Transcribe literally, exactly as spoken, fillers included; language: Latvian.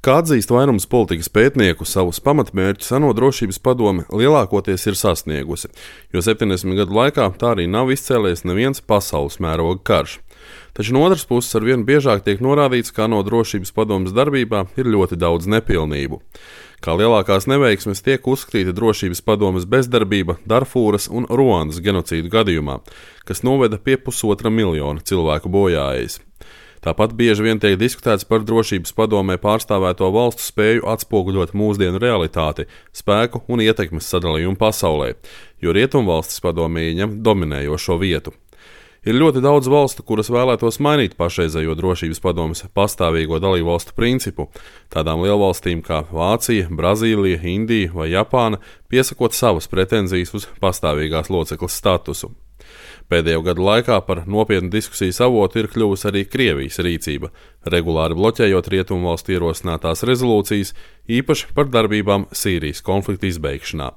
Kā atzīst vairums politikas pētnieku, savus pamatmērķus ANO drošības padome lielākoties ir sasniegusi, jo septiņdesmit gadu laikā tā arī nav izcēlies neviens pasaules mēroga karš. Taču no otras puses arvien biežāk tiek norādīts, ka ANO drošības padomes darbībā ir ļoti daudz nepilnību. Kā lielākās neveiksmes tiek uzskatīta drošības padomes bezdarbība Darfūras un Ruandas genocīdu gadījumā, kas noveda pie pusotra miljona cilvēku bojāejas. Tāpat bieži vien tiek diskutēts par drošības padomē pārstāvēto valstu spēju atspoguļot mūsdienu realitāti, spēku un ietekmes sadalījumu pasaulē, jo rietumvalstis padomē ieņem dominējošo vietu. Ir ļoti daudz valstu, kuras vēlētos mainīt pašreizējo drošības padomes pastāvīgo dalībvalstu principu, tādām lielvalstīm kā Vācija, Brazīlija, Indija vai Japāna, piesakot savas pretenzijas uz pastāvīgās locekles statusu. Pēdējo gadu laikā par nopietnu diskusijas avotu ir kļuvusi arī Krievijas rīcība, regulāri bloķējot rietumvalstu ierosinātās rezolūcijas, īpaši par darbībām Sīrijas konflikta izbeigšanā.